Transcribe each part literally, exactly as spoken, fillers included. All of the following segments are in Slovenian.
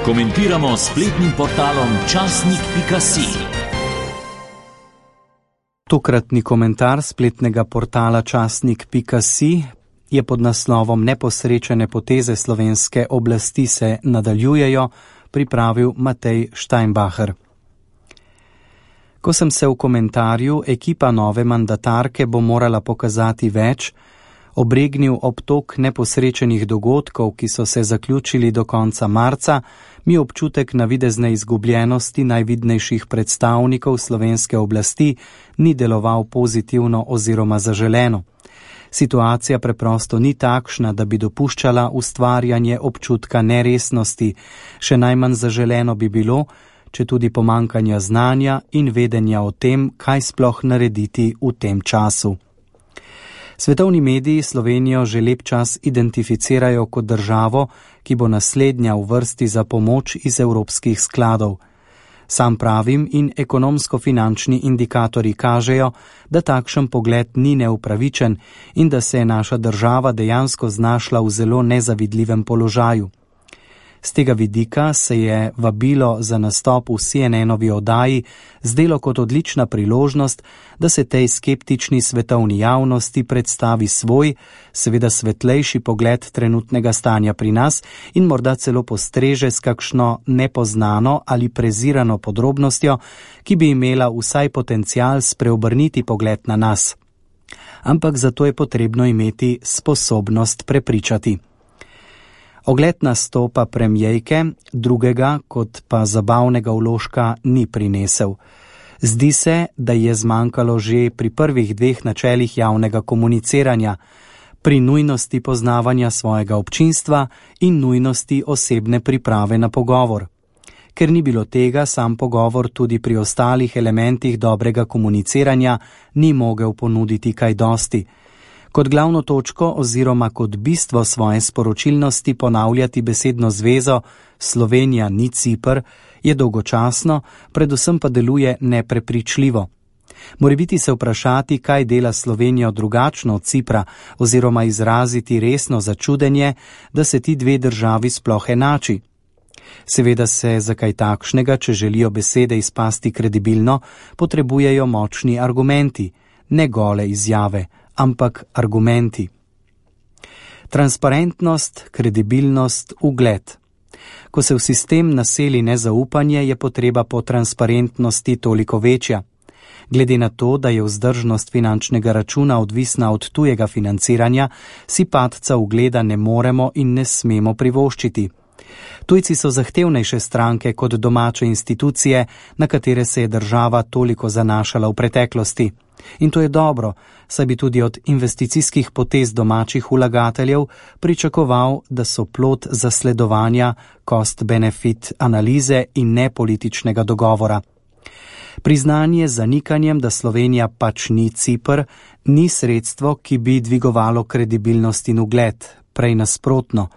Komentiramo s spletnim portalom časnik pika si. Tokratni komentar spletnega portala časnik pika si je pod naslovom Neposrečene poteze slovenske oblasti se nadaljujejo, pripravil Matej Steinbacher. Ko sem se v komentarju Ekipa nove mandatarke bo morala pokazati več, obregnil obtok neposrečenih dogodkov, ki so se zaključili do konca marca, mi občutek navidezne izgubljenosti najvidnejših predstavnikov slovenske oblasti ni deloval pozitivno oziroma zaželeno. Situacija preprosto ni takšna, da bi dopuščala ustvarjanje občutka neresnosti, še najmanj zaželeno bi bilo, če tudi pomankanja znanja in vedenja o tem, kaj sploh narediti v tem času. Svetovni mediji Slovenijo že lep čas identificirajo kot državo, ki bo naslednja v vrsti za pomoč iz evropskih skladov. Sam pravim in ekonomsko-finančni indikatorji kažejo, da takšen pogled ni neupravičen in da se je naša država dejansko znašla v zelo nezavidljivem položaju. Z tega vidika se je vabilo za nastop v C N N-ovi oddaji zdelo kot odlična priložnost, da se tej skeptični svetovni javnosti predstavi svoj, seveda svetlejši pogled trenutnega stanja pri nas in morda celo postreže s kakšno nepoznano ali prezirano podrobnostjo, ki bi imela vsaj potencial spreobrniti pogled na nas. Ampak zato je potrebno imeti sposobnost prepričati. Ogled nastopa premijejke, drugega kot pa zabavnega vložka ni prinesel. Zdi se, da je zmanjkalo že pri prvih dveh načelih javnega komuniciranja, pri nujnosti poznavanja svojega občinstva in nujnosti osebne priprave na pogovor. Ker ni bilo tega, sam pogovor tudi pri ostalih elementih dobrega komuniciranja ni mogel ponuditi kaj dosti. Kot glavno točko oziroma kot bistvo svoje sporočilnosti ponavljati besedno zvezo Slovenija ni Ciper je dolgočasno, predvsem pa deluje neprepričljivo. Morebiti se vprašati, kaj dela Slovenijo drugačno od Cipra oziroma izraziti resno začudenje, da se ti dve državi sploh enači. Seveda se za kaj takšnega, če želijo besede izpasti kredibilno, potrebujejo močni argumenti, ne gole izjave, ampak argumenti. Transparentnost, kredibilnost, ugled. Ko se v sistem naseli nezaupanje, je potreba po transparentnosti toliko večja. Glede na to, da je vzdržnost finančnega računa odvisna od tujega financiranja, si padca ugleda ne moremo in ne smemo privoščiti. Tujci so zahtevnejše stranke kot domače institucije, na katere se je država toliko zanašala v preteklosti. In to je dobro, saj bi tudi od investicijskih potez domačih vlagateljev pričakoval, da so plod zasledovanja cost-benefit analize in ne političnega dogovora. Priznanje z zanikanjem, da Slovenija pač ni Ciper, ni sredstvo, ki bi dvigovalo kredibilnost in ugled. Prej nasprotno.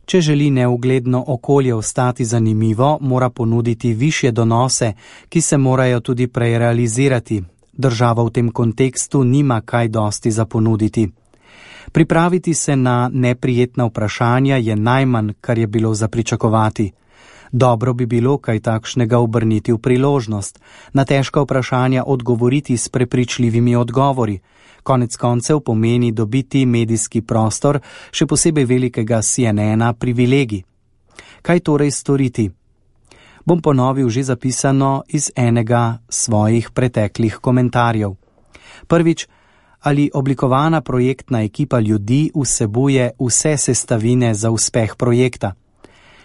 Če želi neugledno okolje ostati zanimivo, mora ponuditi višje donose, ki se morajo tudi prej realizirati. Država v tem kontekstu nima kaj dosti za ponuditi. Pripraviti se na neprijetna vprašanja je najmanj, kar je bilo za pričakovati. Dobro bi bilo kaj takšnega obrniti v priložnost, na težka vprašanja odgovoriti s prepričljivimi odgovori. Konec koncev pomeni dobiti medijski prostor, še posebej velikega C N N-a, privilegij. Kaj torej storiti? Bom ponovil že zapisano iz enega svojih preteklih komentarjev. Prvič, ali oblikovana projektna ekipa ljudi vsebuje vse sestavine za uspeh projekta?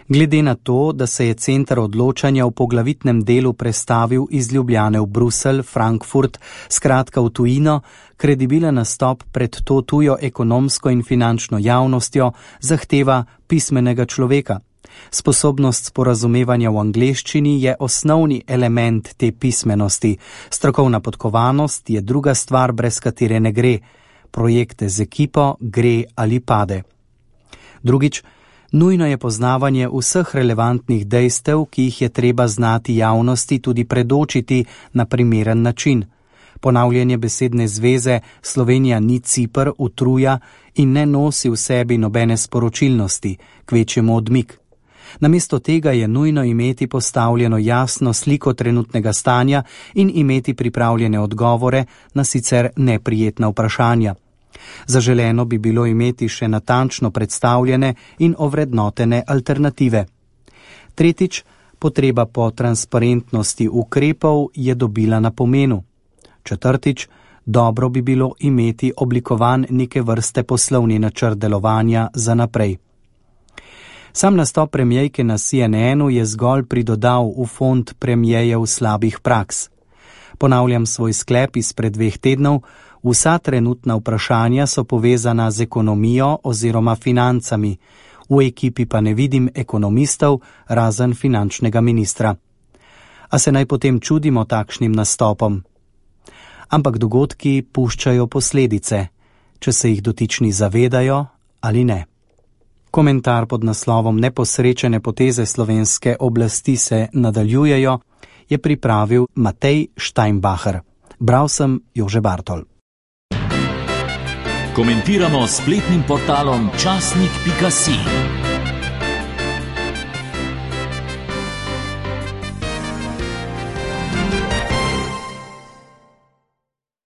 Glede na to, da se je center odločanja v poglavitnem delu prestavil iz Ljubljane v Bruselj, Frankfurt, skratka v tujino, kredibilen nastop pred to tujo ekonomsko in finančno javnostjo zahteva pismenega človeka. Sposobnost sporazumevanja v angleščini je osnovni element te pismenosti. Strokovna podkovanost je druga stvar, brez katere ne gre. Projekte z ekipo gre ali pade. Drugič, nujno je poznavanje vseh relevantnih dejstev, ki jih je treba znati javnosti tudi predočiti na primeren način. Ponavljanje besedne zveze Slovenija ni Ciper utruja in ne nosi v sebi nobene sporočilnosti, kvečjemu odmik. Namesto tega je nujno imeti postavljeno jasno sliko trenutnega stanja in imeti pripravljene odgovore na sicer neprijetna vprašanja. Zaželeno bi bilo imeti še natančno predstavljene in ovrednotene alternative. Tretjič, potreba po transparentnosti ukrepov je dobila na pomenu. Četrtič, dobro bi bilo imeti oblikovan neke vrste poslovni načrt delovanja za naprej. Sam nastop premierke na C N N-u je zgolj pridodal v fond premierjev slabih praks. Ponavljam svoj sklep izpred dveh tednov, vsa trenutna vprašanja so povezana z ekonomijo oziroma financami, v ekipi pa ne vidim ekonomistov, razen finančnega ministra. A se naj potem čudimo takšnim nastopom? Ampak dogodki puščajo posledice, če se jih dotični zavedajo ali ne. Komentar pod naslovom Neposrečene poteze slovenske oblasti se nadaljujejo je pripravil Matej Steinbacher. Bral sem Jože Bartol. Komentiramo s spletnim portalom časnik pika si.